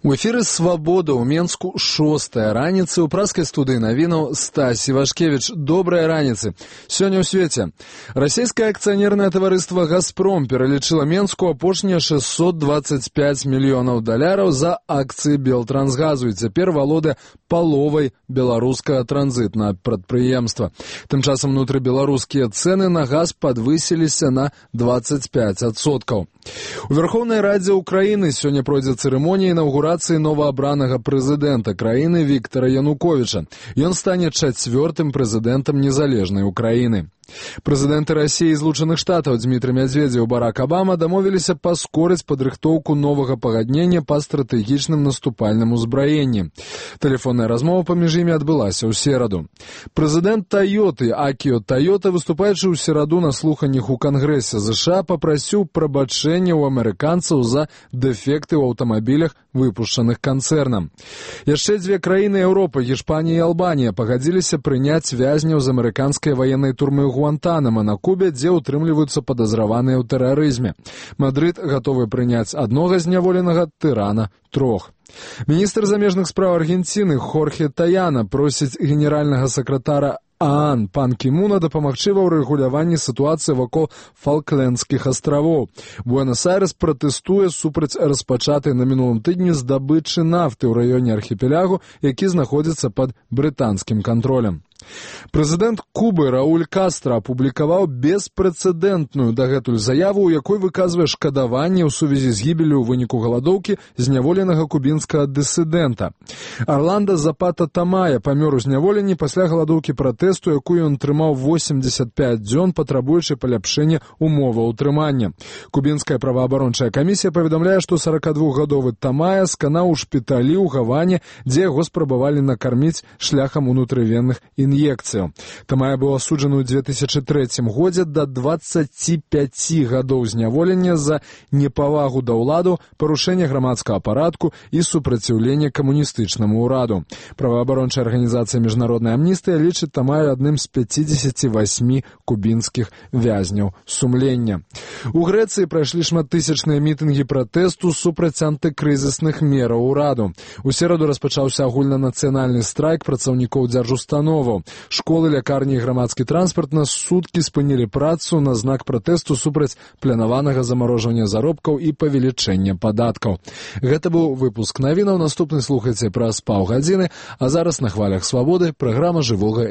У эфіры «Свабода» ў Менску 6-я раніцы. У праскай студыі навінаў Стась Івашкевіч. Добрая раніцы. Сёння ў свеце. Расійскае акцыянернае таварыства «Газпром» пералічыла Менску апошнія $625 мільёнаў за акцыі Белтрансгазу і цяпер валодае паловай беларускага транзітнага прадпрыемства. Тым часам унутрыбеларускія цэны на газ падвысіліся на 25%. У Верховнай Радзе Украіны сёння пройдзе цырымонія інаўгурацыі новаабранага прэзідэнта краіны Віктара Януковіча. Ён стане 4-м прэзідэнтам незалежнай Украіны. Прэзідэнты Расіі і Злучаных Штатаў Дмітрый Медведзеў і Барак Абама дамовіліся паскорыць падрыхтоўку новага пагаднення па стратэгічным наступальным узбраенні. Тэлефонная размова паміж імі адбылася ў сераду. Прэзідэнт Тойоты Акіо Тойота, выступаючы ў сераду на слуханнях у Кангрэсе США, папрасіў прабачэння ў амерыканцаў за дэфекты ў аўтамабілях, выпушчаных канцэрнам. Яшчэ дзве краіны Еўропы, Гішпанія і Албанія, пагадзіліся прыняць вязняў з амерыканскай ваеннай турмы Гуантанамо на Кубе, дзе ўтрымліваюцца падазраваныя ў тэрарызме. Мадрыд гатовы прыняць аднога зняволенага тырана 3. Міністр замежных спраў Аргенціны Хорхе Таяна просіць генеральнага сакратара ААН пан Кімуна дапамагчы ва ўрэгуляванні сітуацыі вакол Фалклендскіх астравоў. Буэнос-Айрэс пратэстуе супраць распачатай на мінулым тыдні здабычы нафты ў раёне архіпелягу, які знаходзіцца пад брытанскім кантролем. Прэзідэнт Кубы Рауль Кастра апублікаваў беспрэцэдэнтную дагэтуль заяву, у якой выказвае шкадаванне ў сувязі з гібеллю ў выніку галадоўкі зняволенага кубінскага дысідэнта. Арландо Запата Тамая памёр у зняволенні пасля галадоўкі пратэсту, якую ён трымаў 85 дзён, патрабуючы паляпшэння умоваў утрымання. Кубінская праваабарончая камісія паведамляе, што 42-гадовы Тамая сканаў у шпіталі ў Гаване, дзе яго спрабавалі накарміць шляхам унутрывенных ін'екцыяў. Тамая быў асуджаны ў 2003 годзе да 25 гадоў зняволення за непавагу да ўладу, парушэнне грамадскага парадку і супраціўленне камуністычнаму ўраду. Праваабарончая арганізацыя «Міжнародная амністыя» лічыць Тамаю адным з 58 кубінскіх вязняў сумлення. У Грэцыі прайшлі шматтысячныя мітынгі пратэсту супраць антыкрызісных мераў ураду. У сераду распачаўся агульнанацыянальны страйк працаўнікоў дзяржустановаў. Школы, лякарні і грамадскі транспарт на суткі спынілі працу на знак пратэсту супраць планаванага замарожвання заробкаў і павелічэння падаткаў. Гэта быў выпуск навінаў. Наступны слухайце праз паўгадзіны, а зараз на хвалях Свабоды праграма жывога